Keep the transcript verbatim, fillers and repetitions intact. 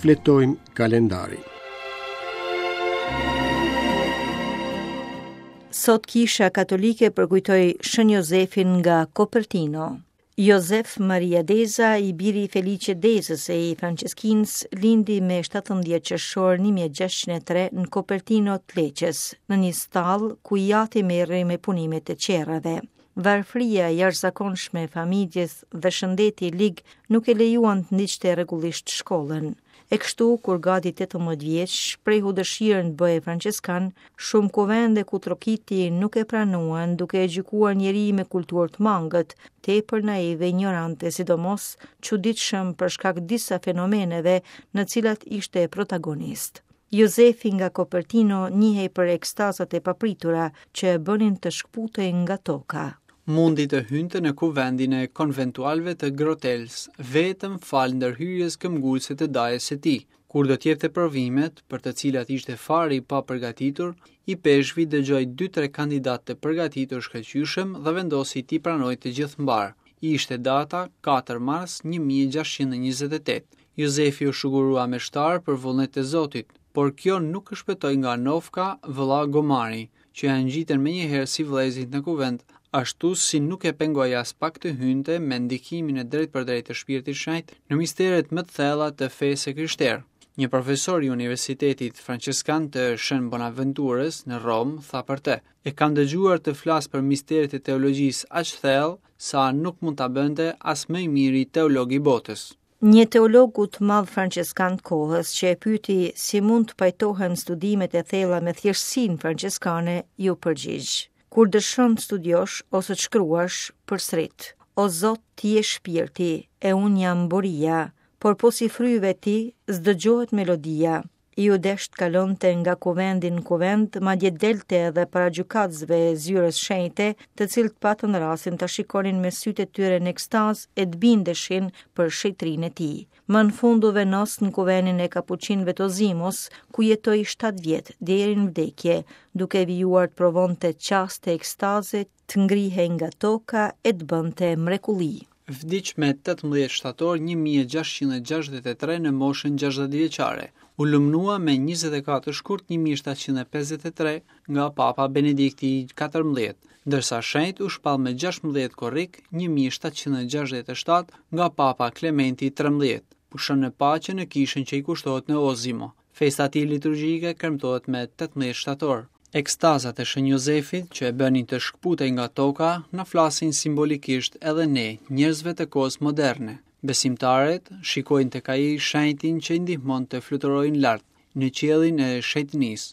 Shfletojmë kalendarin. Sot Kisha Katolike përkujtoi Shën Jozefin nga Copertino. Jozef Maria Deza, i biri i Felice Dezës e i Franceskinës, lindi me shtatëmbëdhjetë qershor një mijë e gjashtëqind e tre në Copertino të Leqes, në një stallë ku i ati merrej me punimet e qerrave. Varfëria e jashtëzakonshme e familjes dhe shëndeti i lig nuk e lejuan të ndiqte rregullisht shkollën. E kështu, kur gati tetëmbëdhjetë vjeç shprehu dëshirën të bëhej franceskan, shumë kuvende ku trokiti nuk e pranuan, duke e gjykuar njeri me kulturë të mangët, tepër naiv e ignorant e sidomos çuditshëm për shkak disa fenomeneve në cilat ishte protagonist. Jozefi nga Copertino njihej për ekstazat e papritura që e bënin të shkputej nga toka. Mundi të hynte në kuvendin e konventualëve të Grotels, vetëm fal ndërhyrjes këmbgulëse të dajës së tij. Kur do t'jepte provimet, për të cilat ishte fare i papërgatitur, i peshvi dëgjoi dy-tre kandidat të përgatitur shkëlqyshëm dhe vendosi t'i pranojë të gjithë mbar. Ishte data katër mars një mijë e gjashtëqind e njëzet e tetë. Jozefi u shugurua meshtar për vullnet të Zotit, por kjo nuk e shpëtoi nga Nofka, vëlla Gomari, që ja ngjitën menjëherë si vëllezërit në kuvend, ashtu si nuk e pengoi as pak të hynte me ndikimin e drejtpërdrejtë të Shpirtit Shenjt në misteret më të thella të fesë së krishterë. Një profesor i Universitetit Franceskan të Shën Bonaventurës në Romë tha për të: E kam dëgjuar të flas për misteret e teologjisë aq thellë sa nuk mund ta bënte as më i miri teolog i botës. Një teologu të madh franceskan të kohës që e pyeti si mund të pajtohen studimet e thella me thjeshtësinë franceskane, iu përgjigj: Kur dëshon të studiosh ose të shkruash, përsërit: O Zot, ti je shpirti, e unë jam boria, por po si fryve ti, s'dëgjohet melodia. Iu desh të kalonte nga kuvendi në kuvend, madje delte edhe para gjykatësve e zyrës shenjte, të cilët patën rastin ta shikonin me sytë e tyre në ekstazë e të bindeshin për shenjtrinë e tij. Më në fund u vendos në kuvendin e Kapuçinëve të Ozimos, ku jetoi shtatë vjet deri në vdekje, duke vijuar të provonte çaste ekstaze, të ngrihej nga toka e të bënte mrekulli. Vdiq me tetëmbëdhjetë shtator një mijë e gjashtëqind e gjashtëdhjetë e tre në moshën gjashtëdhjetë vjeçare. U lumnua me njëzet e katër shkurt një mijë e shtatëqind e pesëdhjetë e tre nga Papa Benedikti i katërmbëdhjetë, ndërsa shenjt u shpall me gjashtëmbëdhjetë korrik një mijë e shtatëqind e gjashtëdhjetë e shtatë nga Papa Klementi i trembëdhjetë. Pushon në paqe në kishën që i kushtohet në Ozimo. Festa e tij liturgjike kremtohet me tetëmbëdhjetë shtator. Ekstazat e Shën Jozefit, që e bënin të shkputej nga toka, na flasin simbolikisht edhe ne, njerëzve të kohës moderne. Besimtarët shikojnë tek ai shenjtin që i ndihmon të fluturojnë lart në qiellin e shenjtërisë.